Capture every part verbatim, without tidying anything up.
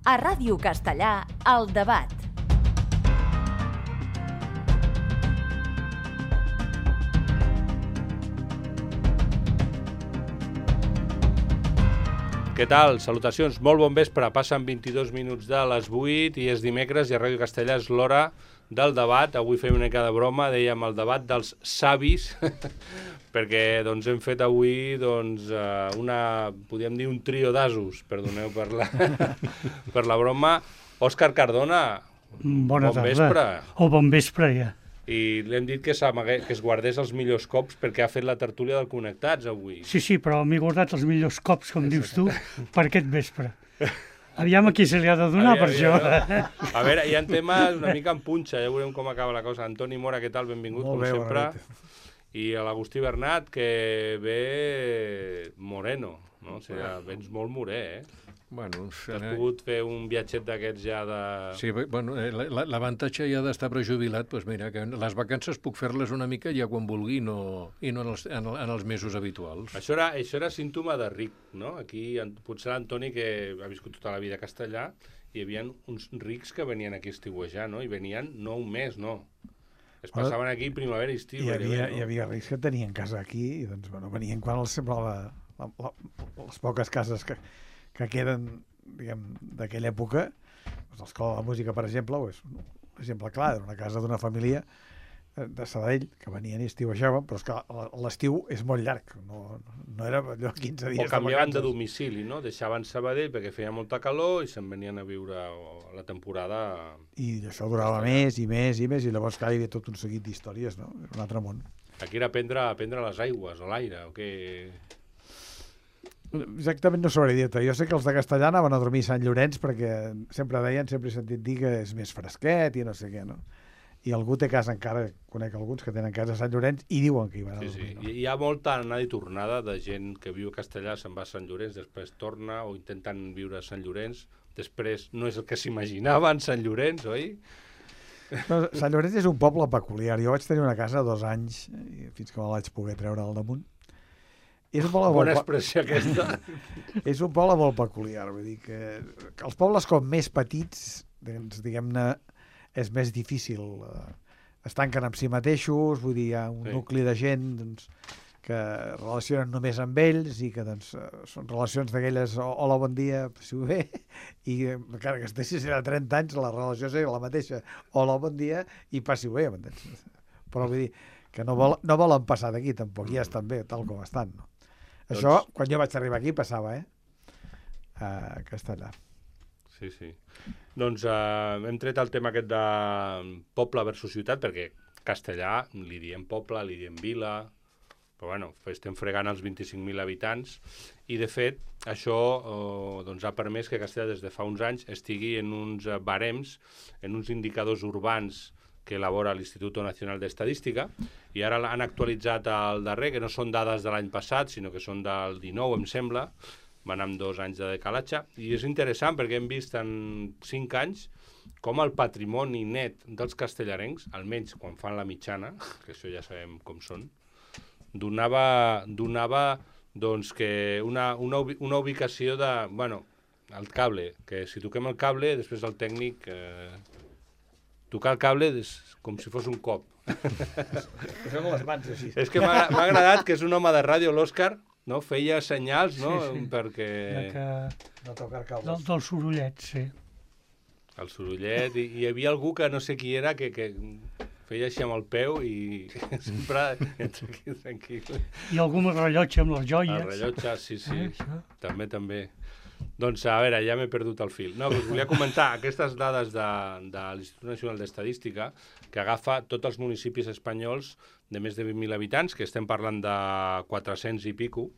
A Ràdio Castellà, El Debat. Què tal? Salutacions, molt bon vespre. Passen vint-i-dos minuts de les vuit i és dimecres i a Ràdio Castellà és l'hora del debat. Avui fem una mica de broma, dèiem el debat dels savis, perquè doncs, hem fet avui doncs, una, podríem dir un trio d'asos, perdoneu per la, per la broma. Òscar Cardona, Bona bon tarda. vespre. O bon vespre, ja. I li hem dit que, que es guardés els millors cops perquè ha fet la tertúlia del Connectats avui. Sí, sí, però m'he guardat els millors cops, com dius tu, per aquest vespre. Aviam a qui se li ha de donar Aviam, per això. aviam. A veure, hi ha temes una mica en punxa, ja veurem com acaba la cosa. Antoni Mora, què tal? Benvingut, Molt com bé, sempre. bona I a l'Agustí Bernat, que ve moreno, no? O sigui, vens molt morè, eh? Bueno, Has pogut fer un viatget d'aquests ja de... sí, bueno, l'avantatge ja d'estar prejubilat, doncs mira, que les vacances puc fer-les una mica ja quan vulgui no, i no en els, en, en els mesos habituals. Això era, això era símptoma de ric, no? Aquí potser l'Antoni, que ha viscut tota la vida a Castellà, hi havia uns rics que venien aquí a estiuejar, no? I venien no un mes, no. Es passaven aquí primavera i estiu. Hi havia, no? hi havia rics que tenien casa aquí i doncs, bueno, venien quan els semblava la, la, les poques cases que, que queden, diguem, d'aquella època. Doncs l'Escola de Música, per exemple, és un exemple clar, era una casa d'una família de Sabadell, que venien i estiuejaven, però és que l'estiu és molt llarg, no, no era allò quinze dies o canviaven de, de domicili, no? Deixaven Sabadell perquè feia molta calor i se'n venien a viure la temporada... I això durava més i més i més, i llavors clar, hi havia tot un seguit d'històries, no? Era un altre món. Aquí era prendre, prendre les aigües, o l'aire, o què... Exactament no sabré dir-te. Jo sé que els de Castellà anaven a dormir a Sant Llorenç perquè sempre deien, sempre he sentit dir que és més fresquet i no sé què, no? I algú té casa encara, conec alguns que tenen casa a Sant Llorenç i diuen que hi van a sí, dormir. Sí. No? Hi ha molta anada i tornada de gent que viu a Castellà, se'n va a Sant Llorenç, després torna o intenten viure a Sant Llorenç, després no és el que s'imaginaven Sant Llorenç, oi? No, Sant Llorenç és un poble peculiar. Jo vaig tenir una casa dos anys, fins que me la vaig poder treure al damunt. És un poble Bona molt... expressió aquesta. És un poble molt peculiar, vull dir que, que els pobles com més petits, doncs, diguem-ne, és més difícil. Es tanquen amb si mateixos, vull dir, hi ha un sí. nucli de gent doncs, que relacionen només amb ells i que doncs, són relacions d'aquelles hola, bon dia, passi-ho bé, i encara que estiguis a trenta anys, la relació és la mateixa, hola, bon dia, i passi-ho bé, m'entens? Però vull dir que no, vol, no volen passar d'aquí tampoc, ja estan bé, tal com estan, no? Això, doncs... quan jo vaig arribar aquí, passava, eh? A Castellà. Sí, sí. Doncs uh, hem tret el tema aquest de poble versus ciutat, perquè Castellà li diem poble, li diem vila, però bueno, estem fregant els vint-i-cinc mil habitants, i de fet això uh, doncs ha permès que Castellà des de fa uns anys estigui en uns barems, en uns indicadors urbans que elabora l'Institut Nacional d'Estadística, i ara han actualitzat el darrer, que no són dades de l'any passat, sinó que són del dinou, em sembla, van amb dos anys de decalatge, i és interessant perquè hem vist en cinc anys com el patrimoni net dels castellarencs, almenys quan fan la mitjana, que això ja sabem com són, donava, donava doncs, que una, una, una ubicació de... Bueno, el cable, que si toquem el cable, després el tècnic... Eh, tocar el cable és com si fos un cop. Són les mans així. És que m'ha agradat que és un home de ràdio, l'Òscar, no? Feia senyals, no? Sí, sí. Perquè... Que... No tocar cables. Del, del sorollet, sí. El sorollet, i hi havia algú que no sé qui era, que, que feia així amb el peu i sempre entra aquí tranquil. I algun rellotge amb les joies. El rellotge, sí, sí. Eh, això. També, també. Doncs, a veure, ja m'he perdut el fil. No, us volia comentar aquestes dades de, de l'Institut Nacional d'Estadística, que agafa tots els municipis espanyols de més de vint mil habitants, que estem parlant de quatre-cents i pico,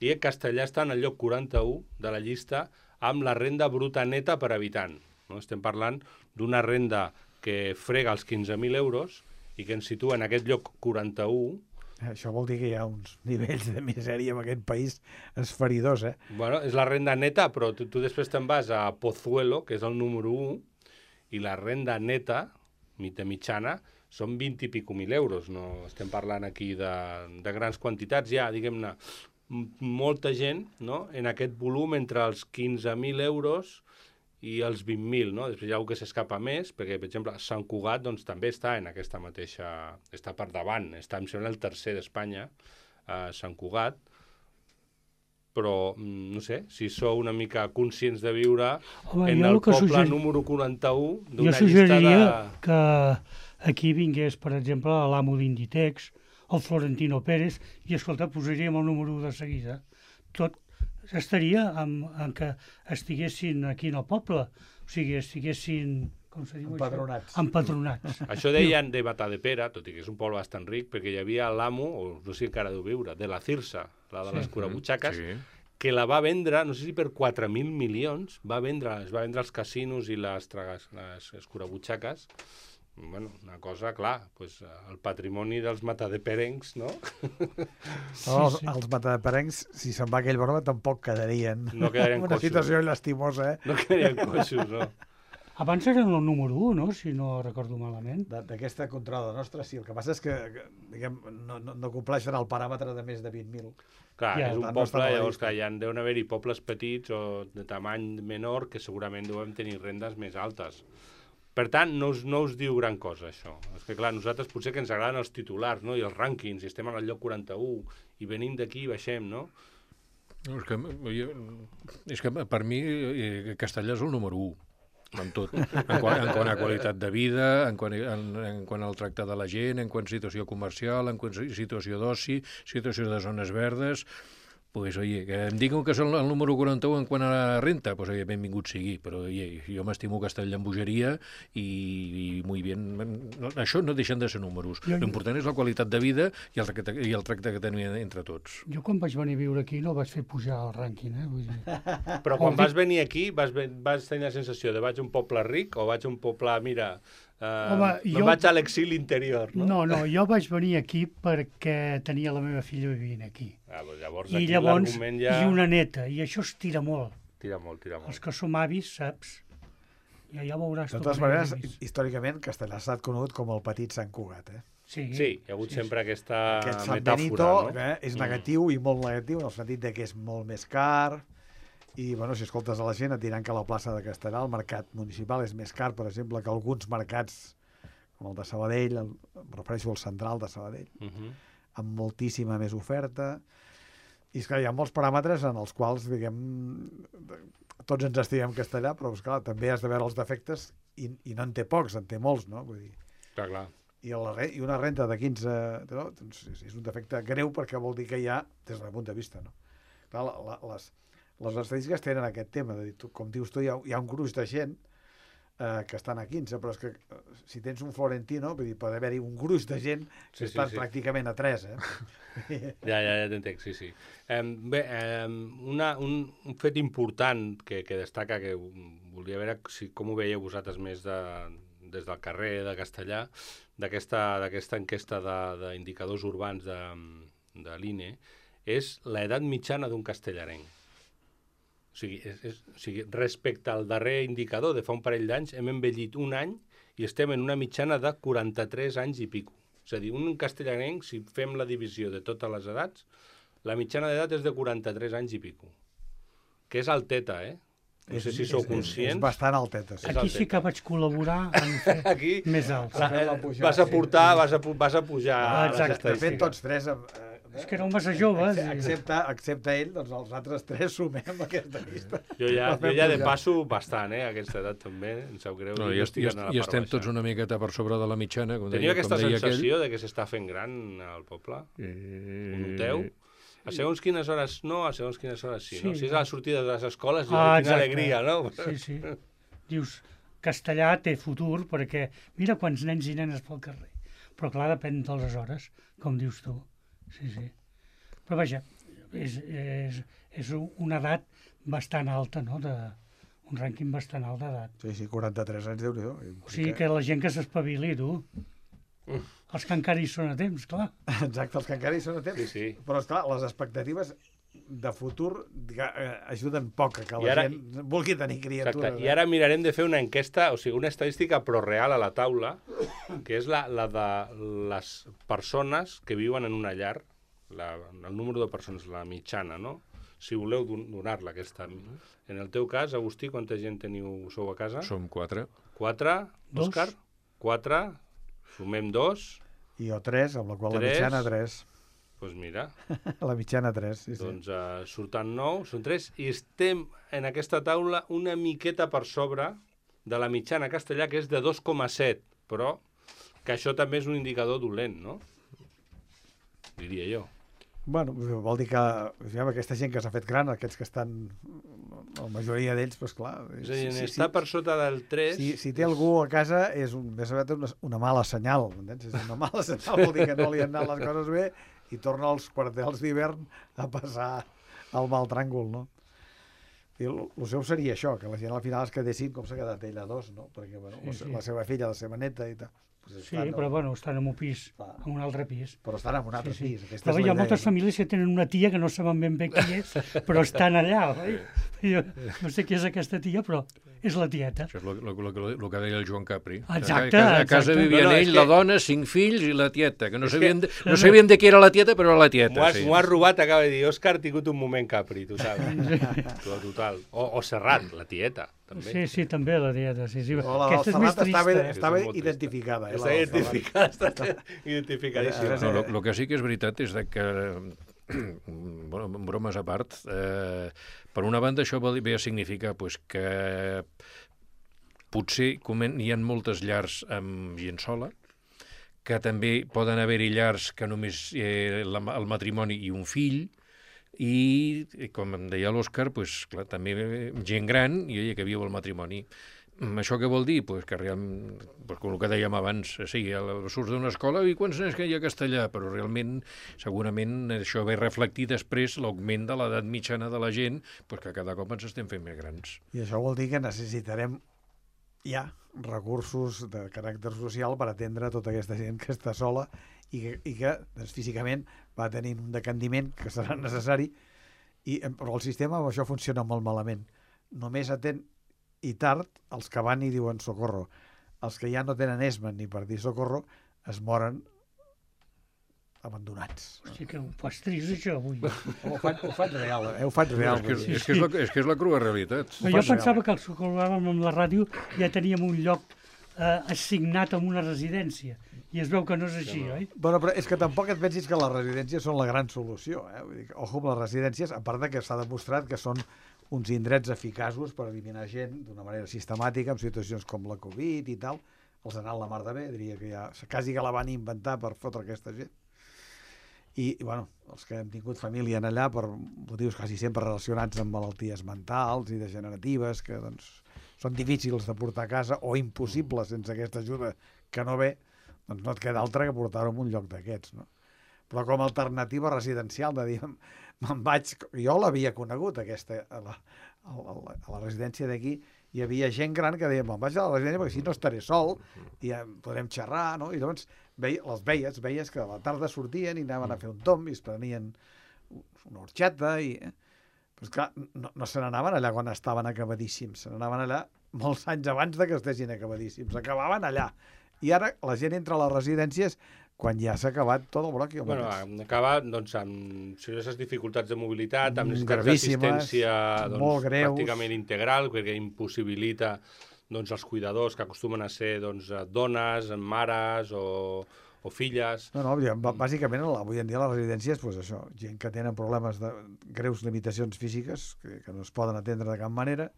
i Castellà està en el lloc quaranta-u de la llista amb la renda bruta neta per habitant. No? Estem parlant d'una renda que frega els quinze mil euros i que ens situa en aquest lloc quaranta-u. Això vol dir que hi ha uns nivells de misèria en aquest país esferidors, eh? Bueno, és la renda neta, però tu, tu després te'n vas a Pozuelo, que és el número u, i la renda neta, de mitjana, són vint i pico mil euros. No estem parlant aquí de, de grans quantitats. Ja, diguem-ne, molta gent, no?, en aquest volum entre els quinze mil euros i els vint mil, no? Després hi ha algú que s'escapa més, perquè, per exemple, Sant Cugat doncs, també està en aquesta mateixa... està per davant, està, em sembla, el tercer d'Espanya, eh, Sant Cugat, però, no sé, si sou una mica conscients de viure Home, en jo el el que poble suggeri- número quaranta-u Jo d'una llista suggeriria de... que aquí vingués, per exemple, l'amo d'Inditex, el Florentino Pérez, i, escolta, posaríem el número u de seguida. Tot estaria en, en que estiguessin aquí en el poble, o sigui, estiguessin... Com se diu Empadronats. això? Empadronats. Això deien de Matadepera, tot i que és un poble bastant ric, perquè hi havia l'amo, o no sé si encara deu viure, de la Cirsa, la de les curabutxaques, Sí. que la va vendre, no sé si per quatre mil milions, va vendre, es va vendre els casinos i les, tragas, les escurabutxaques. Bueno, una cosa, clar, pues, el patrimoni dels matadeperencs, no? No, els, els matadeperencs, si se'n va aquell broma, tampoc quedarien. No quedarien Una coixos. situació llastimosa, eh? No quedarien coixos, no? Abans eren el número u, no?, si no recordo malament. De- D'aquesta controlada nostra, sí. El que passa és que, que diguem, no, no, no compleixen el paràmetre de més de vint mil. Clar, Ja, és un per tant, no poble, estan a la llavors, llista. clar, hi ha, deuen haver-hi pobles petits o de tamany menor que segurament deuen tenir rendes més altes. Per tant, no us, no us diu gran cosa, això. És que, clar, nosaltres potser que ens agraden els titulars, no?, i els rànquings, i estem al lloc quaranta-u, i venim d'aquí i baixem, no? No, és, que, jo, és que per mi eh, Castellà és el número u en tot, en quant, en quant a qualitat de vida, en quant, en, en quant al tracte de la gent, en quant a situació comercial, en quant a situació d'oci, situació de zones verdes. Pues, oye, que em diguin que és el, el número quaranta-u en quant a renta, pues, oye, benvingut sigui, però oye, jo m'estimo Castellà en bogeria i, i muy bien. No, això no deixen de ser números. Jo- jo- L'important és la qualitat de vida i el, tracte, i el tracte que tenim entre tots. Jo quan vaig venir a viure aquí no vaig fer pujar el rànquing, eh? Vull dir... Però quan Vol dir- vas venir aquí, vas, ven- vas tenir la sensació de vaig a un poble ric o vaig a un poble, mira, eh, Home, me'n jo- vaig a l'exili interior, no? No, no, jo vaig venir aquí perquè tenia la meva filla vivint aquí. Ah, doncs llavors I aquí llavors, l'argument ja... i una neta, i això es tira molt. Tira molt, tira molt. Els que som avis, saps? Ja, ja veuràs. De tu totes quan maneres, arribis. històricament, Castellà ha estat conegut com el petit Sant Cugat, eh? Sí, Sí, hi ha hagut sí, sempre aquesta Aquest Sant metàfora, Benito, no? eh, és negatiu i molt negatiu, en el sentit de que és molt més car, i, bueno, si escoltes a la gent et diran que la plaça de Castellà, el mercat municipal, és més car, per exemple, que alguns mercats, com el de Sabadell, el, em refereixo al central de Sabadell, Uh -huh. amb moltíssima més oferta, i és que hi ha molts paràmetres en els quals, diguem, tots ens estimem Castellà, però, esclar, també has de veure els defectes, i, i no en té pocs, en té molts, no? Vull dir, Clar, clar. i, la, re- i una renta de quinze... No? Doncs és, és un defecte greu perquè vol dir que hi ha, des del meu punt de vista, no? Clar, la, la, les, les estadístiques tenen aquest tema, de dir, tu, com dius tu, hi ha, hi ha un gruix de gent eh, que estan a quinze, però és que eh, si tens un Florentino, vull dir, pot haver-hi un gruix de gent que Sí, sí, estan sí. pràcticament a tres, eh? Ja, ja, ja t'entenc, sí, sí. Eh, bé, eh, una, un, un fet important que, que destaca, que volia veure si, com ho veieu vosaltres més de, des del carrer de Castellà, d'aquesta d'aquesta enquesta de- d'indicadors urbans de, de l'I N E, és l'edat mitjana d'un castellarenc. O sigui, és, és, o sigui, respecte al darrer indicador de fa un parell d'anys, hem envellit un any i estem en una mitjana de quaranta-tres anys i pico. És a dir, un castellarenc, si fem la divisió de totes les edats, la mitjana d'edat és de quaranta-tres anys i pico. Que és alteta, eh? No sé si sou és, és, és conscients. bastant alteta, sí. És Aquí el sí que vaig col·laborar en fer Aquí més alts. la, Fem la eh, pujada, vas a sí. portar, vas a, pu- vas a pujar Ah, les exacte. De fet, estadístiques. tots tres... Eh, És que era un massa jove. Ex- Excepte, excepte ell, doncs els altres tres sumem aquesta llista. Jo ja, La jo fem ja de pujar. passo bastant, eh, a aquesta edat també, em sap greu. No, dir, i, jo est, estic i, anant a la i part estem baixa. tots una miqueta per sobre de la mitjana. Com Teniu deia, aquesta com deia sensació de que s'està fent gran al poble? Aquell... Ho noteu? A segons quines hores no, a segons quines hores sí, no? Sí. Si és a la sortida de les escoles, Ah, ah, quina exacte. alegria, no? Sí, sí. Dius, Castellà té futur perquè mira quants nens i nenes pel carrer. Però clar, depèn de les hores, com dius tu. Sí, sí. Però vaja, és, és, és una edat bastant alta, no? De, un rànquing bastant alt d'edat. Sí, sí, quaranta-tres anys, Déu-n'hi-do. O sigui que la gent que s'espavili, tu. Els que encara hi són a temps, clar. Exacte, els que encara hi són a temps. Sí, sí. Però, esclar, les expectatives de futur diga, eh, ajuden poc a que I la ara- gent vulgui tenir criatures. Exacte. I ara mirarem de fer una enquesta, o sigui, una estadística però real a la taula, que és la, la de les persones que viuen en una llar, la, el número de persones, la mitjana, no? si voleu don- donar-la aquesta. En el teu cas, Agustí, quanta gent teniu, sou a casa? Som quatre. Quatre, Dos. Òscar? Quatre, sumem dos, I jo tres, amb la qual Tres. la mitjana tres. doncs pues mira, La mitjana tres, sí, sí. doncs uh, surten nou, són tres, i estem en aquesta taula una miqueta per sobre de la mitjana castellà, que és de dos coma set, però que això també és un indicador dolent, no? Diria jo. Bueno, vol dir que ja, aquesta gent que s'ha fet gran, aquests que estan, la majoria d'ells, doncs clar... És a dir, si, està si, per sota del tres... Si, si té algú a casa és un, més aviat una, una mala senyal, m'entens? És una mala senyal, vol dir que no li han anat les coses bé i torna als quartels d'hivern a passar al mal tràngol, no? I el, el seu seria això, que la gent al final es quedessin com s'ha quedat ell a dos, no? Perquè, bueno, Sí, sí. la seva filla, la seva neta i tal. Pues Sí, però bueno, estan en un pis, Clar. en un altre pis. Però estan en un altre Sí, sí. pis. Aquesta Però és hi ha la moltes idea, famílies que tenen una tia que no saben ben bé qui és, però estan allà, oi? Jo no sé qui és aquesta tia, però és la tieta. Això és el, el, el, el que deia el Joan Capri. Exacte, A casa, a casa exacte. vivien No, no, és ell, que- la dona, cinc fills i la tieta, que no És sabien, que- de, no sabien de qui era la tieta, però era la M'ho tieta. has, Sí. m'ho has robat, acaba de dir, Òscar ha tingut un moment Capri, total. total. O, o Serrat, la tieta, també. Sí, sí, també la tieta. Sí, sí. O la Aquesta és del més Serrat estava, trista. eh? estava És molt trista. identificada. Eh, la Està del Serrat. identificada, està identificadíssima. Eh, No, el que sí que és veritat és de que, bueno, bromes a part, eh, per una banda això ve ve a significar pues, que potser comen- hi ha moltes llars amb gent sola, que també poden haver-hi llars que només eh, la, el matrimoni i un fill, i, com em deia l'Òscar, pues, clar, també gent gran i ella que viu el matrimoni. Mm, Això què vol dir? Pues que realment, pues, com el que dèiem abans, sí, el- surts d'una escola i quants nens que hi ha a castellà, però realment, segurament, això ve reflectir després l'augment de l'edat mitjana de la gent, pues, que cada cop ens estem fent més grans. I això vol dir que necessitarem ja recursos de caràcter social per atendre tota aquesta gent que està sola i que, i que doncs, físicament va tenint un decandiment que serà necessari, i, eh, però el sistema amb això funciona molt malament. Només atén i tard els que van i diuen socorro. Els que ja no tenen esma ni per dir socorro es moren abandonats. Hosti, que ho fas trist, això, avui. Ho faig, ho faig real, eh? Ho faig real. és, que, vull dir. és, que és, la, és que és la crua realitat. Però jo pensava que els que col·laboràvem amb la ràdio ja teníem un lloc eh, assignat en una residència. I es veu que no és així, oi? Bueno, però és que tampoc et pensis que les residències són la gran solució. Eh? Vull dir que, ojo amb les residències, a part de que s'ha demostrat que són uns indrets eficaços per eliminar gent d'una manera sistemàtica en situacions com la Covid i tal. Els ha anat la mar de bé, diria que ja quasi que la van inventar per fotre aquesta gent. I, i bueno, els que hem tingut família en allà per motius quasi sempre relacionats amb malalties mentals i degeneratives que doncs, són difícils de portar a casa o impossibles sense aquesta ajuda que no ve, doncs no et queda altra que portar-ho en un lloc d'aquests, no? Però com a alternativa residencial, de dir, me'n vaig... Jo l'havia conegut, aquesta, a la, a la, a la residència d'aquí, hi havia gent gran que deia, me'n vaig a la residència perquè així no estaré sol i ja podrem xerrar, no? I llavors veia, les veies, veies que a la tarda sortien i anaven a fer un tomb i es prenien una horxata i... Però esclar, no, no se n'anaven allà quan estaven acabadíssims, se n'anaven allà molts anys abans de que estessin acabadíssims, acabaven allà. I ara la gent entra a les residències quan ja s'ha acabat tot el broc. Bueno, acaba doncs, amb serioses dificultats de mobilitat, amb Mm, necessitats gravíssimes, d'assistència molt doncs, greus. pràcticament integral, perquè impossibilita doncs, els cuidadors que acostumen a ser doncs, dones, mares o, o filles. No, no, b- bàsicament avui en dia a les residències, doncs això, gent que tenen problemes de greus limitacions físiques que, que no es poden atendre de cap manera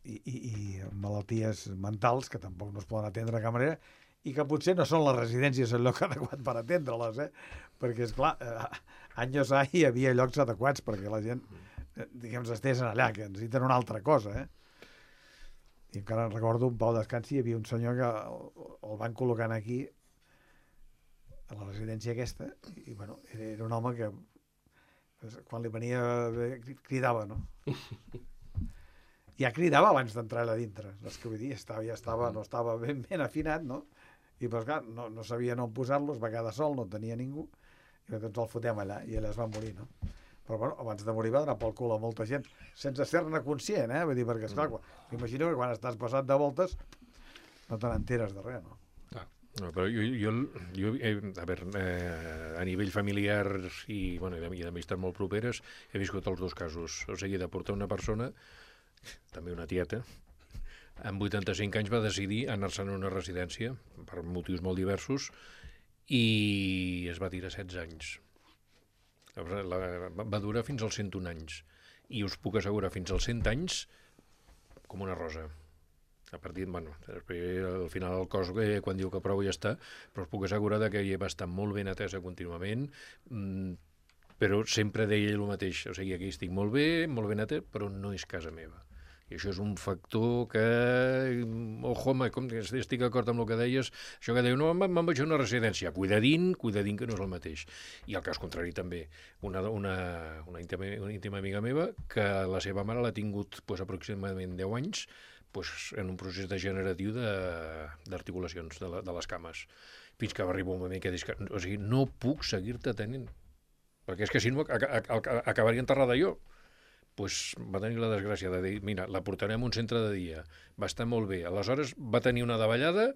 i, i, i malalties mentals que tampoc no es poden atendre de cap manera i que potser no són les residències el lloc adequat per atendre-les, eh? Perquè, esclar, eh, anys a hi havia llocs adequats perquè la gent, eh, diguem, estigués allà, que necessiten una altra cosa, eh? I encara recordo un Pau Descansi, hi havia un senyor que el, el van col·locant aquí a la residència aquesta, i bueno, era, era un home que pues, quan li venia bé, cridava, no? Ja cridava abans d'entrar allà dintre, és que vull dir, estava, ja estava, no estava ben, ben afinat, no? I pues, clar, no, no sabia on posar-lo, es va quedar sol, no tenia ningú, i doncs el fotem allà, i ella es va morir, no? Però bueno, abans de morir va donar pel cul a molta gent, sense ser-ne conscient, eh? Vull dir, perquè, esclar, quan, imagino que quan estàs passat de voltes no te n'enteres de res, no? Ah, No, però jo, jo, jo eh, a veure, eh, a nivell familiar i, bueno, i d'amistats molt properes he viscut els dos casos. O sigui, de portar una persona, també una tieta, amb vuitanta-cinc anys va decidir anar-se'n a una residència per motius molt diversos i es va tirar setze anys. La, va durar fins als cent un anys i us puc assegurar fins als cent anys com una rosa. A partir, bueno, al final el cos eh, quan diu que prou ja està, però us puc assegurar que ella va estar molt ben atesa contínuament, mmm, però sempre deia ell el mateix, o sigui, aquí estic molt bé, molt ben atès, però no és casa meva. I això és un factor que, ojo, home, com estic d'acord amb el que deies, això que deiu, no, me'n vaig a una residència, cuidadín, cuidadín que no és el mateix. I al cas contrari també, una, una, una, íntima, una íntima amiga meva, que la seva mare l'ha tingut pues, aproximadament deu anys, pues, en un procés degeneratiu d'articulacions de, de, de les cames, fins que va arribar un moment que dius que, o sigui, no puc seguir-te tenint, perquè és que si no acabaria enterrada jo. Pues va tenir la desgràcia de dir, mira, la portarem a un centre de dia, va estar molt bé, aleshores va tenir una davallada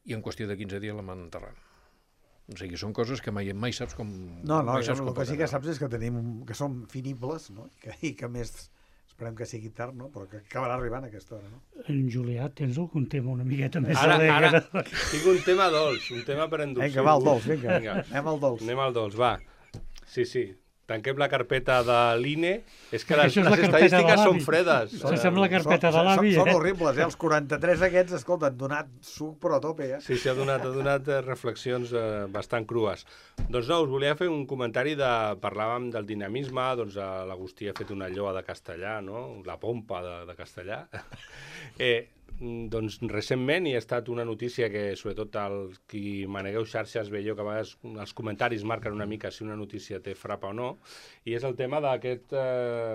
i en qüestió de quinze dies la van enterrar. O sigui, són coses que mai, mai saps com... No, no, mai saps el com que sí que saps és que tenim, que som finibles, no? I que, i que més esperem que sigui tard, no? Però que acabarà arribant a aquesta hora, no? En Julià, tens algun tema una miqueta més Ara, alegre? ara, tinc un tema dolç, un tema per endur. Vinga, va, el dolç, vinga. Vinga. Anem al dolç. Anem al dolç, va. Sí, sí. Tanquem la carpeta de l'I N E. És que les, Això és la les carpeta de estadístiques l'avi. són fredes. Això sembla la carpeta Són- de l'avi, són, són eh? horribles, eh? Els quaranta-tres aquests, escolta, han donat suc però a tope, eh? Sí, sí, ha donat, ha donat eh, reflexions eh, bastant crues. Doncs no, us volia fer un comentari de... Parlàvem del dinamisme, doncs eh, l'Agustí ha fet una lloa de castellà, no? La pompa de, de castellà. eh, doncs recentment hi ha estat una notícia que sobretot els qui manegueu xarxes veieu que a vegades els comentaris marquen una mica si una notícia té frapa o no, i és el tema d'aquesta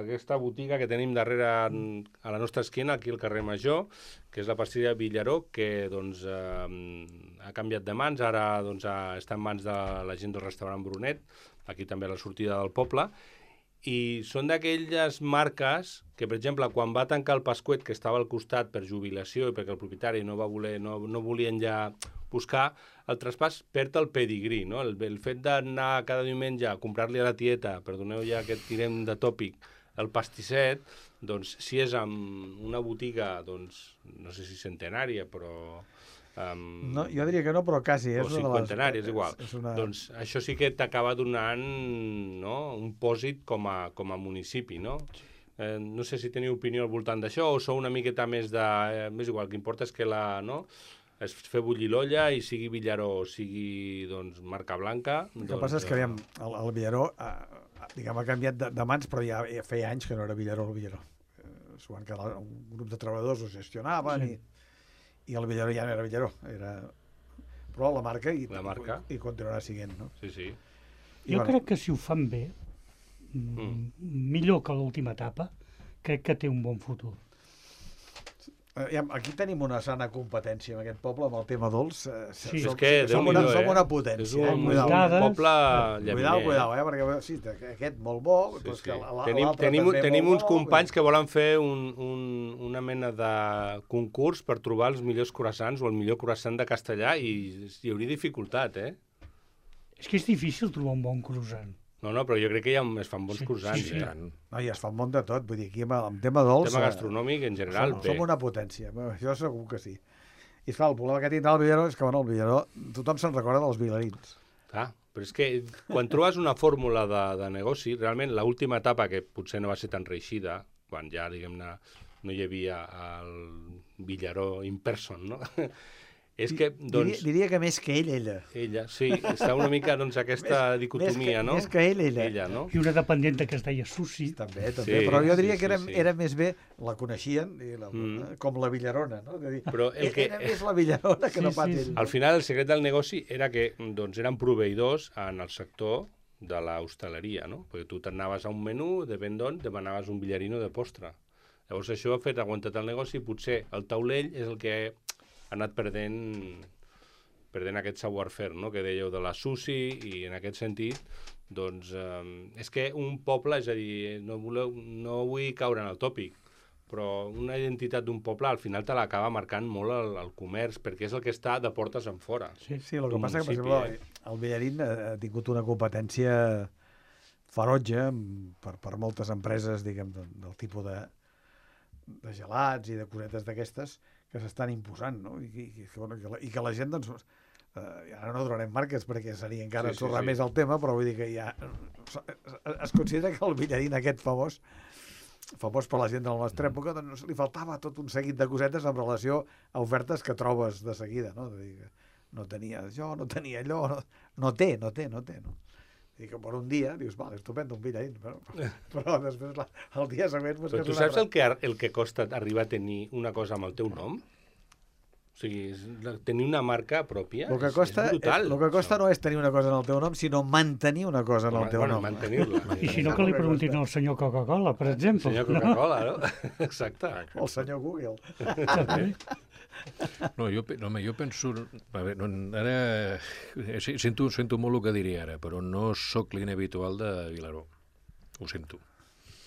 aquest, eh, botiga que tenim darrere a la nostra esquina, aquí al carrer Major, que és la pastisseria Villaró, que doncs, eh, ha canviat de mans, ara doncs, està en mans de la gent del restaurant Brunet, aquí també a la sortida del poble, i són d'aquelles marques que, per exemple, quan va tancar el Pasquet, que estava al costat per jubilació i perquè el propietari no va voler, no, no volien ja buscar, el traspàs perd el pedigrí, no? El, el fet d'anar cada diumenge a comprar-li a la tieta, perdoneu ja que tirem de tòpic, el pastisset, doncs si és amb una botiga, doncs, no sé si centenària, però... Um, No, jo diria que no, però quasi. o És una de les- cinquantenari, és igual. És una... Doncs això sí que t'acaba donant, no, un pòsit com a, com a municipi, no? Eh, no sé si teniu opinió al voltant d'això o sou una miqueta més de... Eh, més igual, el que importa és que la... No? és fer bullir l'olla i sigui Villaró o sigui doncs, marca blanca. El que doncs, passa és que aviam, el, el Villaró eh, diguem, ha canviat de, de mans, però ja, ja feia anys que no era Villaró el Villaró. Eh, S'ho van quedar un grup de treballadors, ho gestionaven sí. i, i el Villaró ja no era Villaró. Era... Però la marca i, La marca. i, i continuarà siguent. No? Sí, sí. I, Jo crec que si ho fan bé, mm. millor que l'última etapa, crec que té un bon futur. Eh, aquí tenim una sana competència en aquest poble amb el tema dolç. Eh, Sí. som, És que, som, Déu-n'hi-do, una, som eh? una És potència. un, eh? és Cuidado. un poble llaminer. Cuidao, cuidao, eh? perquè sí, aquest molt bo, Sí, però és sí. que l'altre Tenim, tenim, també tenim molt uns bo, companys que volen fer un, un, una mena de concurs per trobar els millors croissants o el millor croissant de castellà i hi hauria dificultat, eh? És que és difícil trobar un bon croissant. No, no, però jo crec que ja es fan bons Sí, croissants, sí, sí. eh? No, i es fa un munt de tot, vull dir, aquí amb, amb tema dolç... Tema eh, gastronòmic, en general, som, bé. som una potència, Bé, això segur que sí. I esclar, el problema que tindrà el Villaró és que, bueno, el Villaró, tothom se'n recorda dels vilarins. Ah, però és que quan trobes una fórmula de, de negoci, realment l'última etapa, que potser no va ser tan reeixida, quan ja, diguem-ne, no hi havia el Villaró in person, no? És que, doncs... Diria, diria que més que ell, ella. Ella, sí, està una mica, doncs, aquesta Més- dicotomia, més que, no? Més que ell, ella. Ella, no? I una dependenta que es deia Susi. També, també. Sí, Però jo diria sí, que era, sí, sí. era més bé, la coneixien, i la, Mm. com la Villarona, no? És a dir, Però el que- Era més la Villarona que Sí, no pas sí, ell. sí. Al final, el secret del negoci era que doncs, eren proveïdors en el sector de l'hostaleria, no? Perquè tu t'anaves a un menú, depèn d'on, demanaves un billarino de postre. Llavors això ha fet aguantat el negoci i potser el taulell és el que ha anat perdent, perdent aquest savoir-faire, no? Que dèieu de la Susi, i en aquest sentit, doncs, eh, és que un poble, és a dir, no, voleu, no vull caure en el tòpic, però una identitat d'un poble al final te l'acaba marcant molt el, el comerç, perquè és el que està de portes en fora. Sí, Sí, el que d'un passa que, per municipi, exemple, el Villarín ha tingut una competència ferotge per, per moltes empreses, diguem, del, del tipus de, de gelats i de cosetes d'aquestes que s'estan imposant, no? I, i, i, bueno, i, que la, I que la gent, doncs, eh, ara no donarem marques perquè seria encara Sí, sí, ensorrar sí. més el tema, però vull dir que ja es considera que el Villarín aquest famós famós per la gent de la nostra època, doncs li faltava tot un seguit de cosetes en relació a ofertes que trobes de seguida, no? De dir que no tenia això, no tenia allò, no, no té, no té, no té, no? I que per un dia dius, vale, estupendo, un Villarín, però, però després la, el dia següent... Però tu saps el que, el que costa arribar a tenir una cosa amb el teu nom? O sigui, tenir una marca pròpia el que és, costa, és brutal. el que costa no és tenir una cosa en el teu nom, sinó mantenir una cosa en el teu bueno, nom. mantenir-la. I si no, que li preguntin al senyor Coca-Cola, per exemple. Senyor Coca-Cola, no? Exacte. O el senyor Google. També. No, jo, pe- no, home, jo penso... A veure, no, ara... eh, sí, Sento, sento molt el que diré ara, però no sóc client habitual de Vilaró. Ho sento.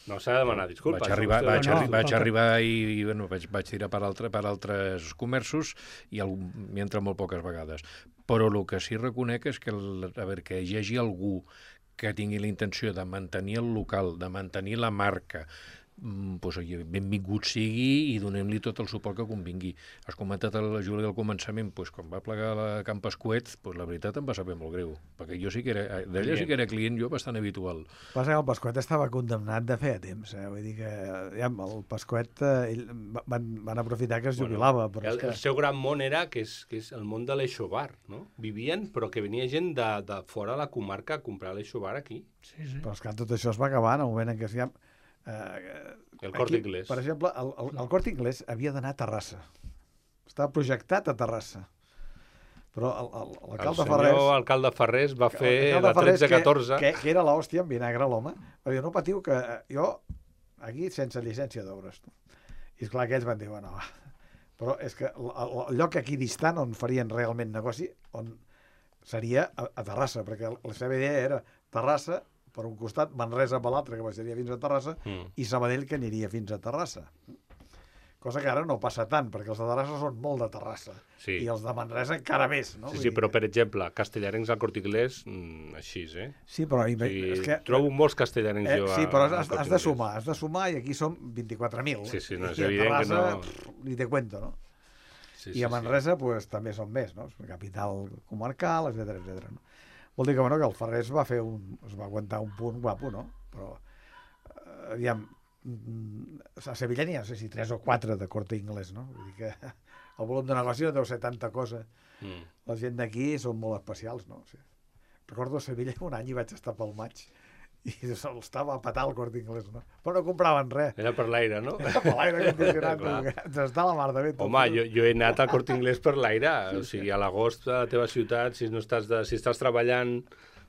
No s'ha de demanar disculpes. Vaig arribar, Vostè- vaig, no, arri vaig escolta. arribar i, i bueno, vaig, vaig tirar per, altre, per altres comerços i m'hi entra molt poques vegades. Però el que sí reconec és que, el, a veure, que hi hagi algú que tingui la intenció de mantenir el local, de mantenir la marca, mm, doncs, oi, benvingut sigui i donem-li tot el suport que convingui. Has comentat a la Júlia al començament, doncs, quan va plegar la Camp Pasquet, doncs, la veritat em va saber molt greu, perquè jo sí que era, d'ella sí que era client jo bastant habitual. Passa que el Pasquet estava condemnat de feia temps, eh? Vull dir que ja, el Pasquet eh, ell, van, van aprofitar que es jubilava. Bueno, però El, és que... el seu gran món era que és, que és el món de l'Eixobar, no? Vivien, però que venia gent de, de fora de la comarca a comprar l'Eixobar aquí. Sí, sí. Però és que tot això es va acabar en el moment en què es ja... Eh, El Corte Inglés. Per exemple, el, el, el Corte Inglés havia d'anar a Terrassa. Estava projectat a Terrassa. Però el- el- El l'alcalde senyor Ferrés... alcalde Ferrés va fer l'alcalde la Ferrés, tretze catorze. Que, que, que era l'hòstia en vinagre, l'home. Va dir, no patiu, que eh, jo aquí sense llicència d'obres. I esclar, aquells van dir, bueno, va. Però és que el, el, el lloc aquí distant on farien realment negoci on seria a, a Terrassa, perquè la seva idea era Terrassa, per un costat, Manresa per l'altre, que baixaria fins a Terrassa, Mm. i Sabadell, que aniria fins a Terrassa. Cosa que ara no passa tant, perquè els de Terrassa són molt de Terrassa. Sí. I els de Manresa encara més, no? Sí, Vull sí, dir però que- per exemple, castellarencs al Corte Inglés, mm, així, eh? Sí, però... O I, sigui, és que... trobo molts castellarencs Eh, jo sí, a- però al has, Corte has de Inglés. sumar, has de sumar, i aquí som vint-i-quatre mil. Sí, sí, no, és I a evident que Terrassa, no- pff, ni te cuento, no? Sí, I a Manresa, pues, també són més, no? És una capital comarcal, etcètera, etcètera. No? Vol dir que, bueno, que el Ferrés va fer un... es va aguantar un punt guapo, no? Però, eh, aviam, mm, a Sevilla n'hi ha, no sé si tres o quatre de Corte Inglés, no? Vull dir que el volum de negoci no deu ser tanta cosa. Mm. La gent d'aquí són molt especials, no? O sigui, recordo a Sevilla un any i vaig estar pel maig i se'l estava a petar el Corte Inglés, no? Però no compraven res. Era per l'aire, no? Per l'aire condicionat, Clar. ens està la mar de bé. tot. Home, jo, jo he anat al Corte Inglés per l'aire. O sigui, a l'agost a la teva ciutat, si no estàs, de, si estàs treballant,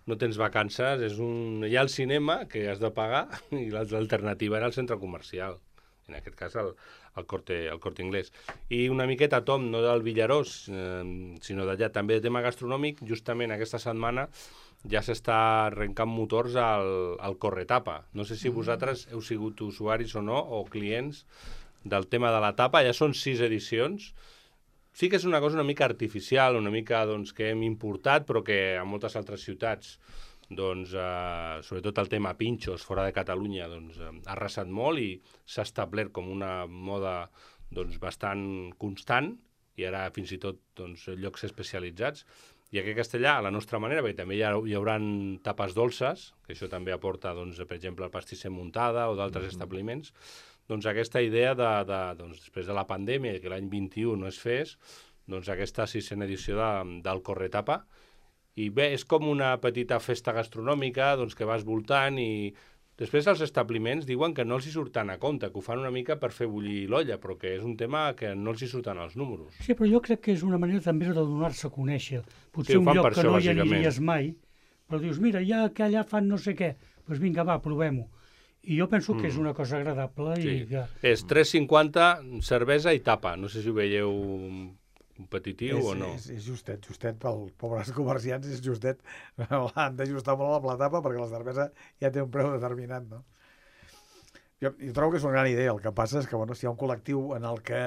no tens vacances, és un... hi ha el cinema, que has de pagar, i l'alternativa era el centre comercial. En aquest cas, el, el, corte, el Corte Inglés. I una miqueta, Tom, no del Villarós, eh, sinó d'allà, també de tema gastronòmic, justament aquesta setmana ja s'està arrencant motors al, al Corretapa. No sé si vosaltres heu sigut usuaris o no, o clients del tema de la tapa. Ja són sis edicions. Sí que és una cosa una mica artificial, una mica doncs, que hem importat, però que a moltes altres ciutats, doncs, eh, sobretot el tema pinxos fora de Catalunya, doncs, eh, ha arrasat molt i s'ha establert com una moda doncs, bastant constant, i ara fins i tot doncs, llocs especialitzats. I aquí a Castellà, a la nostra manera, perquè també hi, ha, hi haurà tapes dolces, que això també aporta, doncs, per exemple, el pastisser Muntada o d'altres mm-hmm. establiments, doncs aquesta idea de, de doncs, després de la pandèmia, que l'any vint-i-u no es fes, doncs aquesta sisena edició de, del Corretapa. I bé, és com una petita festa gastronòmica doncs, que vas voltant i després els establiments diuen que no els hi surten a compte, que ho fan una mica per fer bullir l'olla, però que és un tema que no els hi surten els números. Sí, però jo crec que és una manera també de donar-se a conèixer. Potser Sí, ho un fan lloc per que això, no hi bàsicament. aniries mai, però dius, mira, ja que allà fan no sé què, doncs vinga, va, provem-ho. I jo penso que és una cosa agradable Sí. i que... És tres cinquanta, cervesa i tapa. No sé si ho veieu competitiu és, o no. És, és justet, justet pel pobres comerciants, és justet. Han d'ajustar molt a la tapa perquè la cervesa ja té un preu determinat, no? Jo, jo trobo que és una gran idea. El que passa és que, bueno, si hi ha un col·lectiu en el que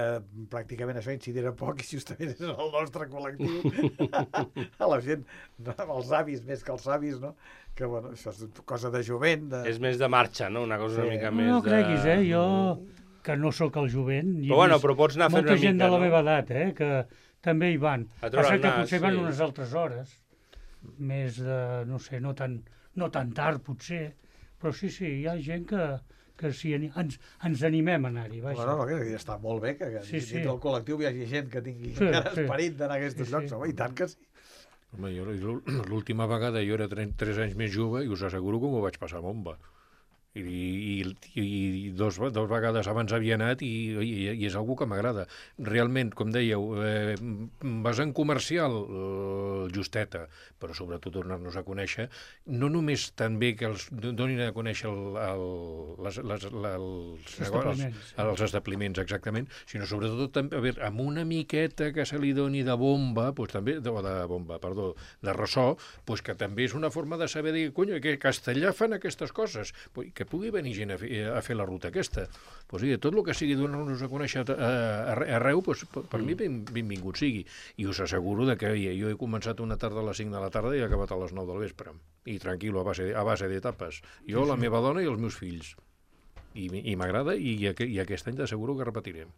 pràcticament això incidirà poc, i justament és el nostre col·lectiu, a la gent, no, els avis més que els avis, no? Que, bueno, això és cosa de jovent. De... És més de marxa, no? Una cosa Sí. una mica No, més no de... creguis, eh? Jo, que no sóc el jovent, i Però bueno, però pots anar fent molta una gent mica, de la no? meva edat, eh? Que també hi van. A treure Passa el que nas, potser van sí. unes altres hores, més de, no sé, no tan, no tan tard, potser, però sí, sí, hi ha gent que, que sí, ens, ens animem a anar-hi, vaja. No, no, que està molt bé que, que Sí, sí. dintre del col·lectiu hi hagi gent que tingui Sí, encara sí. esperit d'anar a aquests Sí, sí. llocs, home, i tant que sí. Home, jo, l'última vegada jo era tres anys més jove i us asseguro que m'ho vaig passar bomba. I, i, i dos, dos vegades abans havia anat i, i, i és algú que m'agrada. Realment, com dèieu, eh, basant comercial, eh, justeta, però sobretot donar-nos a conèixer, no només també que els donin a conèixer el, el, les, les, les, els, establiments. els, els establiments, exactament, sinó sobretot també, a veure, amb una miqueta que se li doni de bomba, doncs també, de, de bomba, perdó, de ressò, doncs que també és una forma de saber dir, cony, que a Castellà fan aquestes coses, pues, que pugui venir gent a fer, a fer la ruta aquesta. Pues, sí, tot el que sigui donar-nos a conèixer arreu, pues, per mi ben, benvingut sigui. I us asseguro de que jo he començat una tarda a les cinc de la tarda i he acabat a les nou del vespre. I tranquil, a base, a base d'etapes. Jo, la meva dona i els meus fills. I, i m'agrada i, i aquest any t'asseguro que repetirem.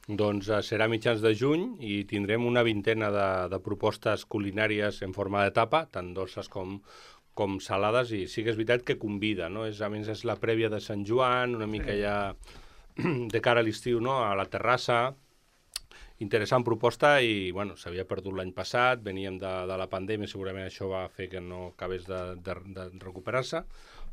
Doncs eh, serà mitjans de juny i tindrem una vintena de, de propostes culinàries en forma d'etapa, tant dolces com, com salades, i sí que és veritat que convida, no? És, a més, és la prèvia de Sant Joan, una mica ja de cara a l'estiu, no? A la terrassa. Interessant proposta i, bueno, s'havia perdut l'any passat, veníem de, de la pandèmia, segurament això va fer que no acabés de, de, de recuperar-se,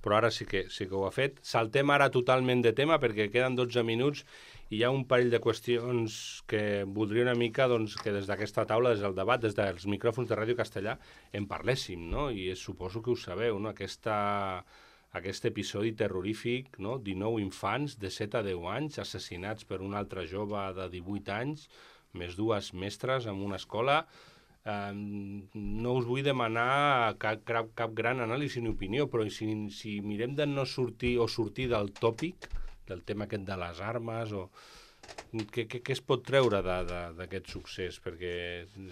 però ara sí que, sí que ho ha fet. Saltem ara totalment de tema perquè queden dotze minuts i hi ha un parell de qüestions que voldria una mica doncs, que des d'aquesta taula, des del debat, des dels micròfons de Ràdio Castellà, en parléssim, no? I suposo que ho sabeu, no? Aquesta, aquest episodi terrorífic, no? dinou infants de set a deu anys assassinats per un altre jove de divuit anys, més dues mestres en una escola. Eh, no us vull demanar cap, cap, cap gran anàlisi ni opinió, però si, si mirem de no sortir o sortir del tòpic, del tema aquest de les armes, o què, què, què es pot treure d'aquest succés? Perquè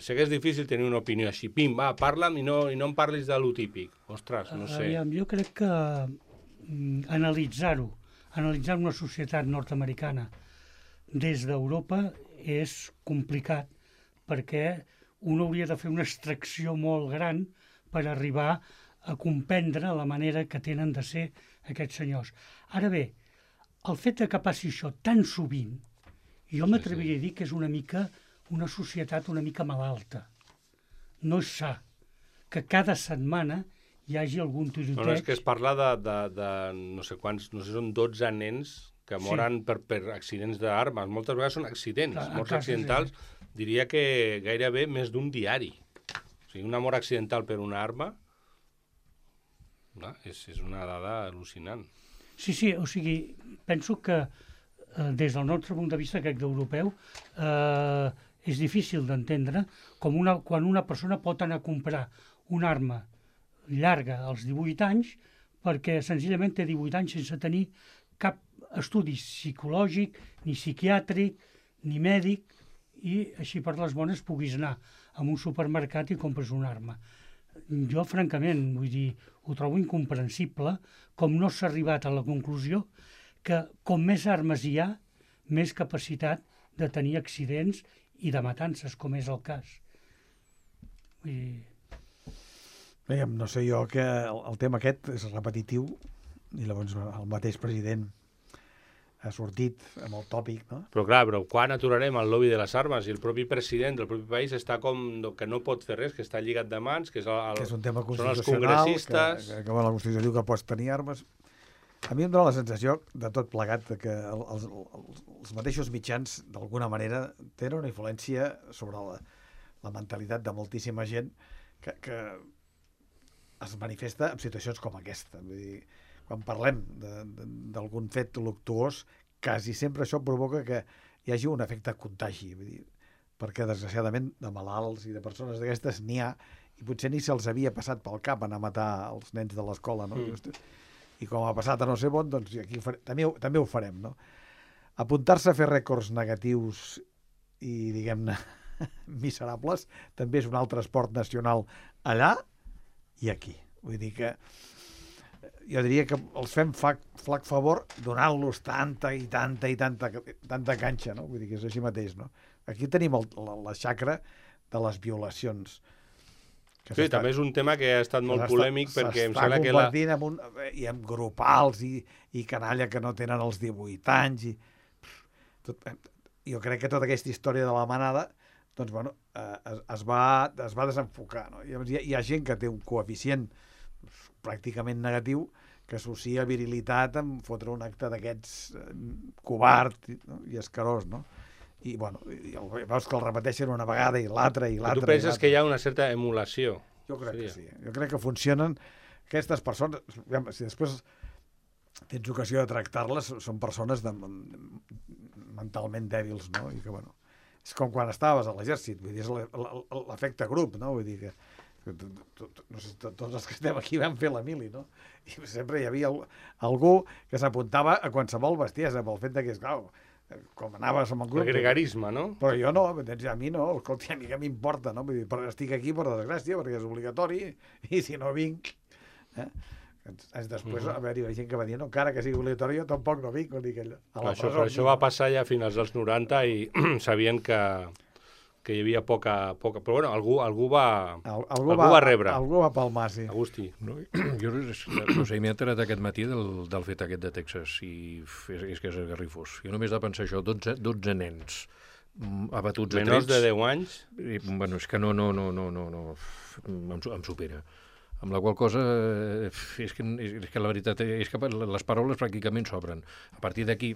sé que és difícil tenir una opinió així. Pim, va, parla'm i no, i no em parlis de lo típic. Ostres, no sé. Aviam, jo crec que mm, analitzar-ho, analitzar una societat nord-americana des d'Europa és complicat, perquè un hauria de fer una extracció molt gran per arribar a comprendre la manera que tenen de ser aquests senyors. Ara bé, el fet de que passi això tan sovint, jo m'atreviria a dir que és una mica una societat una mica malalta. No és sa que cada setmana hi hagi algun tiroteig. No, no, és que es parla de, de, de no sé quants, no sé, són dotze nens que moren sí. per, per accidents d'armes. Moltes vegades són accidents, Clar, morts casos, accidentals. sí. Diria que gairebé més d'un diari. O sigui, una mort accidental per una arma, no, és, és una dada al·lucinant. Sí, sí, o sigui, penso que eh, des del nostre punt de vista, crec d'europeu, eh, és difícil d'entendre com una, quan una persona pot anar a comprar una arma llarga als divuit anys perquè senzillament té divuit anys sense tenir cap estudi psicològic, ni psiquiàtric, ni mèdic, i així per les bones puguis anar a un supermercat i compres una arma. Jo, francament, vull dir, ho trobo incomprensible com no s'ha arribat a la conclusió que com més armes hi ha, més capacitat de tenir accidents i de matances, com és el cas. Vull dir... Veiem, no sé jo que el, el tema aquest és repetitiu i llavors el mateix president ha sortit amb el tòpic, no? Però clar, però quan aturarem el lobby de les armes? I el propi president del propi país està com que no pot fer res, que està lligat de mans, que és, el, el, Que és un tema són els constitucional, congressistes... que, que, que bueno, la Constitució diu que pots tenir armes. A mi em dóna la sensació de tot plegat que el, els, els, els mateixos mitjans, d'alguna manera, tenen una influència sobre la, la mentalitat de moltíssima gent que, que es manifesta en situacions com aquesta. Vull dir, quan parlem d'algun fet luctuós, quasi sempre això provoca que hi hagi un efecte contagi, vull dir, perquè desgraciadament de malalts i de persones d'aquestes n'hi ha, i potser ni se'ls havia passat pel cap anar a matar els nens de l'escola, no? Mm. i com ha passat a no sé on, doncs aquí ho farem, també, ho, també ho farem, no? Apuntar-se a fer rècords negatius i, diguem-ne, miserables, també és un altre esport nacional allà i aquí. Vull dir que jo diria que els fem flac, flac favor donant-los tanta i tanta i tanta, tanta canxa, no? Vull dir que és així mateix, no? Aquí tenim el, la, la xacra de les violacions. Que sí, també és un tema que ha estat molt polèmic perquè em sembla que... S'està convertint en un, i en grupals i, i canalla que no tenen els divuit anys. I, tot, jo crec que tota aquesta història de la manada doncs, bueno, eh, es, es, va, es va desenfocar. No? Hi, ha, hi ha gent que té un coeficient pràcticament negatiu que associa virilitat amb fotre un acte d'aquests eh, covard, no? I escarós, no? I, bueno, i el, veus que el repeteixen una vegada i l'altra i l'altra. Tu penses que hi ha una certa emulació? Jo crec seria. que sí. Jo crec que funcionen aquestes persones... Si després tens ocasió de tractar-les, són persones de, mentalment dèbils, no? I que, bueno, és com quan estaves a l'exèrcit, vull dir, és l'efecte grup, no? Vull dir que, no sé, tots els que estem aquí vam fer la mili, no? I sempre hi havia algú que s'apuntava a qualsevol bestiesa pel fet que, clar, com anaves amb el grup... El gregarisme, no? Però jo no, a mi no, escolta, a mi què m'importa, no? Vull dir, però estic aquí per desgràcia, perquè és obligatori, i si no vinc... Eh? Després, a veure, hi ha gent que va dir, no, encara que sigui obligatori, jo tampoc no vinc. Dir que a la això, presó, això va passar ja a finals dels noranta i sabien que, que hi havia poca... poca però bueno, algú, algú, va, Al, algú, algú va, va rebre. Algú va palmar, sí. Agustí. No, jo no sé, m'he enterat aquest matí del, del fet aquest de Texas i és, és que és garrifós. Jo només de pensar això, dotze, dotze nens abatuts a trets... Menors de deu anys? I, bueno, és que no, no, no, no, no, no em, em supera. Amb la qual cosa, és que, és que la veritat és que les paraules pràcticament s'obren. A partir d'aquí,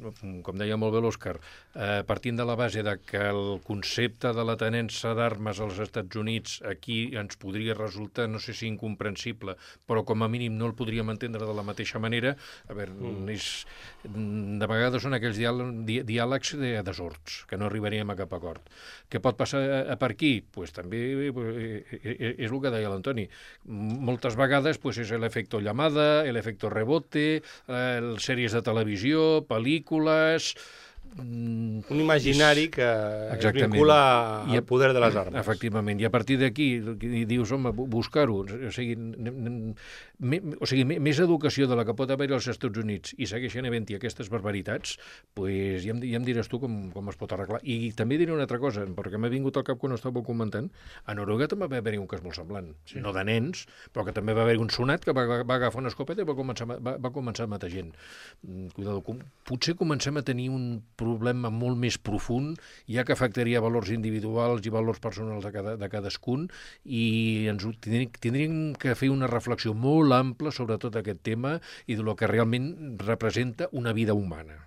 com deia molt bé l'Òscar, eh, partint de la base de que el concepte de la tenença d'armes als Estats Units aquí ens podria resultar, no sé si incomprensible, però com a mínim no el podríem entendre de la mateixa manera, a veure, mm. és, de vegades són aquells diàlegs, diàlegs de desords, que no arribaríem a cap acord. Què pot passar per aquí? Pues també és el que deia l'Antoni. Moltes vegades pues, és l'efecte llamada, l'efecte rebote, eh, sèries de televisió, pel·lícules... Un imaginari que Exactament. Es vincula al poder de les armes. Efectivament, i a partir d'aquí dius, home, buscar-ho, o sigui, me, o sigui, més educació de la que pot haver als Estats Units i segueixen havent-hi aquestes barbaritats, pues ja em, ja em diràs tu com, com es pot arreglar. I també diré una altra cosa, perquè m'ha vingut al cap quan estàveu comentant, a Noruega també va haver-hi un cas molt semblant, sí. No de nens, però que també va haver-hi un sonat que va, va agafar una escopeta i va començar, va, va començar a matar gent. Cuidado, com, potser comencem a tenir un problema molt més profund, ja que afectaria valors individuals i valors personals de, cada, de cadascun, i ens tindríem, tindríem que fer una reflexió molt ampla sobre tot aquest tema i de lo que realment representa una vida humana.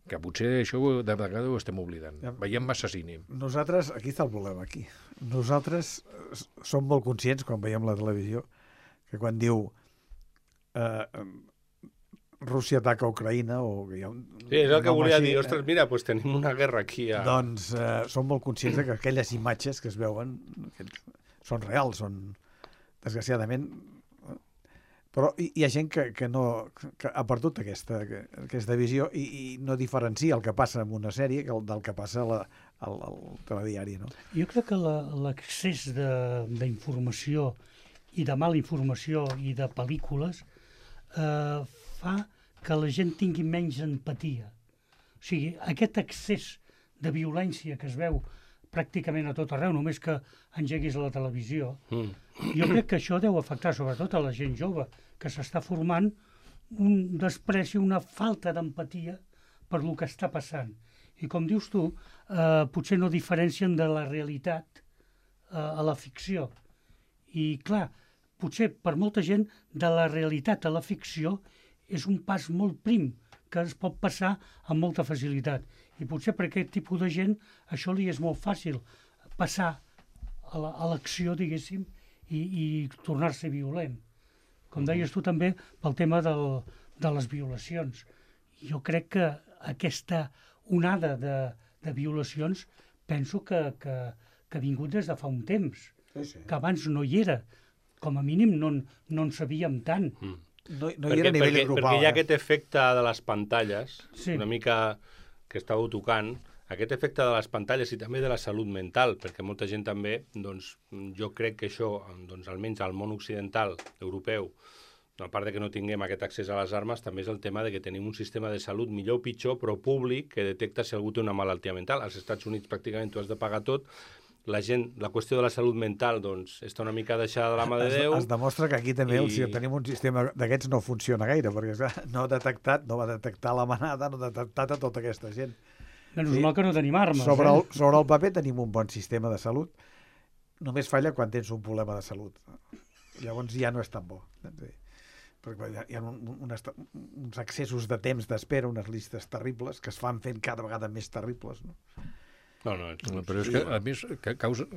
Que potser això de vegades ho estem oblidant. Ja. Veiem massa cine. Nosaltres, aquí està el problema, aquí. Nosaltres som molt conscients, quan veiem la televisió, que quan diu... Eh, Rússia ataca Ucraïna o que hi ha un... Sí, és el que volia així, dir. Ostres, mira, doncs tenim una guerra aquí. A... Doncs eh, som molt conscients que aquelles imatges que es veuen són reals, són, desgraciadament... Però hi, hi ha gent que, que, no, que ha perdut aquesta, aquesta visió i, i no diferencia el que passa en una sèrie que el, del que passa la, al, al telediari. No? Jo crec que l'excés d'informació i de mala informació i de pel·lícules eh, fa que la gent tingui menys empatia. O sigui, aquest excés de violència que es veu pràcticament a tot arreu, només que engeguis la televisió, mm. jo crec que això deu afectar sobretot a la gent jove, que s'està formant un despreci, una falta d'empatia per lo que està passant. I com dius tu, eh, potser no diferencien de la realitat eh, a la ficció. I clar, potser per molta gent de la realitat a la ficció és un pas molt prim, que es pot passar amb molta facilitat. I potser per aquest tipus de gent això li és molt fàcil passar a l'acció, diguéssim, i, i tornar-se violent. Com deies tu també, pel tema del, de les violacions. Jo crec que aquesta onada de, de violacions penso que, que, que ha vingut des de fa un temps, sí, sí. Que abans no hi era. Com a mínim no, no en sabíem tant. Mm. no, no hi perquè, era a nivell perquè, grupal. perquè hi ha eh? aquest efecte de les pantalles, Sí. una mica que estàveu tocant, aquest efecte de les pantalles i també de la salut mental, perquè molta gent també, doncs, jo crec que això, doncs, almenys al món occidental, europeu, a part de que no tinguem aquest accés a les armes, també és el tema de que tenim un sistema de salut millor o pitjor, però públic, que detecta si algú té una malaltia mental. Als Estats Units pràcticament tu has de pagar tot. La gent, la qüestió de la salut mental, doncs, està una mica deixada de la mà de Es, Déu. es demostra que aquí també I- I... si tenim un sistema d'aquests no funciona gaire, perquè clar, no ha detectat, no va detectar la manada, no ha detectat a tota aquesta gent. Menys Sí. mal que no tenim armes. Sobre eh? el, sobre el paper tenim un bon sistema de salut, només falla quan tens un problema de salut. Llavors ja no és tan bo. Sí. Perquè hi ha, hi ha un, un, uns accessos de temps d'espera, unes llistes terribles que es fan fent cada vegada més terribles. No? No, no, ets... No, però és que, a més, que causa...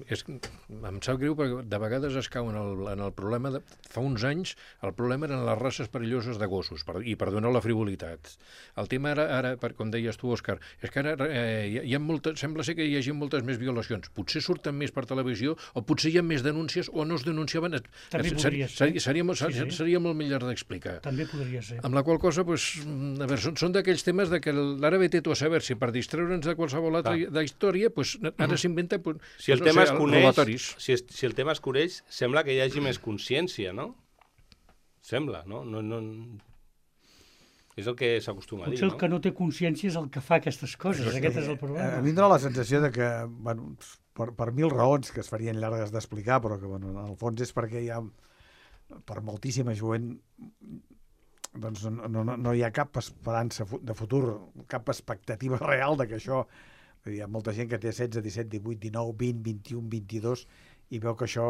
És, em sap greu perquè de vegades es cau en el, en el problema de... Fa uns anys el problema eren les races perilloses de gossos, per, i perdona la frivolitat. El tema ara, ara per, com deies tu, Òscar, és que ara eh, hi ha, hi ha molta, sembla ser que hi hagi moltes més violacions. Potser surten més per televisió o potser hi ha més denúncies o no es denunciaven. També Ser- podria ser. Seria, seria, Sí, sí. seria molt millor d'explicar. També podria ser. Amb la qual cosa, pues, a veure, són, són d'aquells temes de que ara ve tu a saber si per distreure'ns de qualsevol altra Clar. de història, pues, ara s'inventa... Pues, Si el no tema sé, es coneix, robatoris. si, es, si el tema es coneix, sembla que hi hagi més consciència, no? Sembla, no? no, no... És el que s'acostuma a dir, Potser el no? que no té consciència és el que fa aquestes coses. Aquest és el A problema. mi em dóna la sensació de que, bueno, per, per mil raons que es farien llargues d'explicar, però que, bueno, en el fons és perquè hi ha, per moltíssima jovent, doncs no, no, no hi ha cap esperança fu- de futur, cap expectativa real de que això... Hi ha molta gent que té setze, disset, divuit, dinou, vint, vint-i-u, vint-i-dos i veu que això...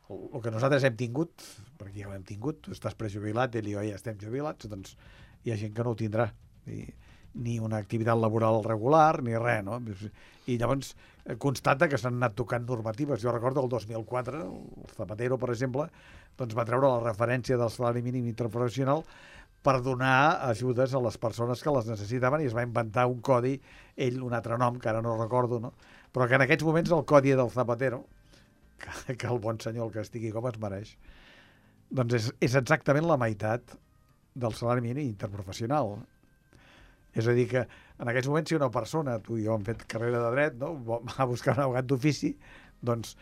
El, el que nosaltres hem tingut, perquè ja ho hem tingut, tu estàs prejubilat, ell i jo ja estem jubilats, doncs hi ha gent que no ho tindrà. I, ni una activitat laboral regular, ni res, no? I llavors eh, constata que s'han anat tocant normatives. Jo recordo el dos mil quatre, el Zapatero, per exemple, doncs va treure la referència del salari mínim interprofessional per donar ajudes a les persones que les necessitaven i es va inventar un codi, ell un altre nom, que ara no recordo, no? Però que en aquests moments el codi del Zapatero, que, que el bon senyor el que estigui com es mereix, doncs és, és exactament la meitat del salari mínim interprofessional. És a dir que en aquests moments si una persona, tu i jo hem fet carrera de dret, no? Va a buscar un abogat d'ofici, doncs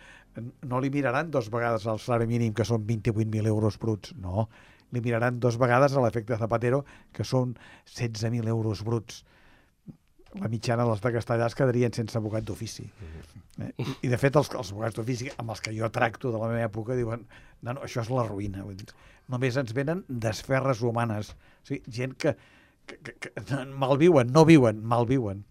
no li miraran dos vegades el salari mínim, que són vint-i-vuit mil euros bruts, no. Li miraran dos vegades a l'efecte Zapatero, que són setze mil euros bruts. La mitjana dels de Castellà es quedarien sense abogat d'ofici. Eh? I, I, de fet, els, els abogats d'ofici amb els que jo tracto de la meva època diuen no, no, això és la ruïna. Vull dir, només ens venen desferres humanes. O sigui, gent que, que, que, que malviuen, no viuen, malviuen.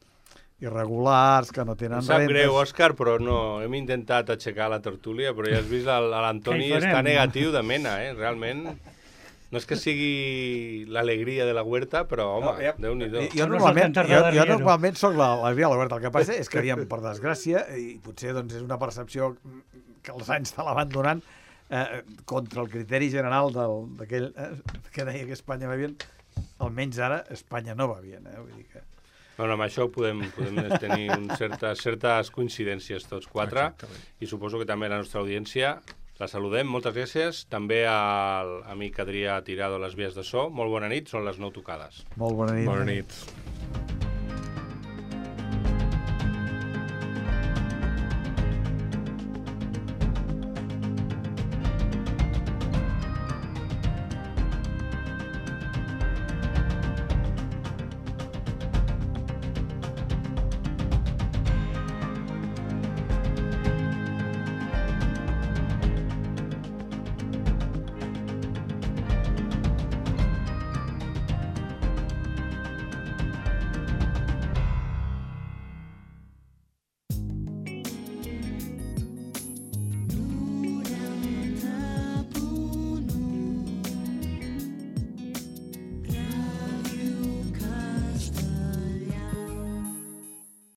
Irregulars, que no tenen Em sap rendes. greu, Òscar, però no, hem intentat aixecar la tertúlia, però ja has vist, el- l'Antoni Què hi farem? està negatiu de mena, eh? Realment, no és que sigui l'alegria de la huerta, però, home, No, ja- Déu-n'hi-do. Jo, No normalment, és el jo, jo Cantarda normalment soc la, la Via Alberta. El que passa és que, aviam, per desgràcia, i potser doncs, és una percepció que els anys te la van donant, eh, contra el criteri general del- d'aquell eh, que deia que Espanya va bien, almenys ara Espanya no va bien. Eh? Vull dir que... No, no, amb això podem, podem tenir un certes, certes coincidències tots quatre. Exactament. I suposo que també la nostra audiència la saludem. Moltes gràcies. També al amic Adrià Tirado a les vies de so. Molt bona nit, són les nou tocades. Molt bona nit. Bona nit.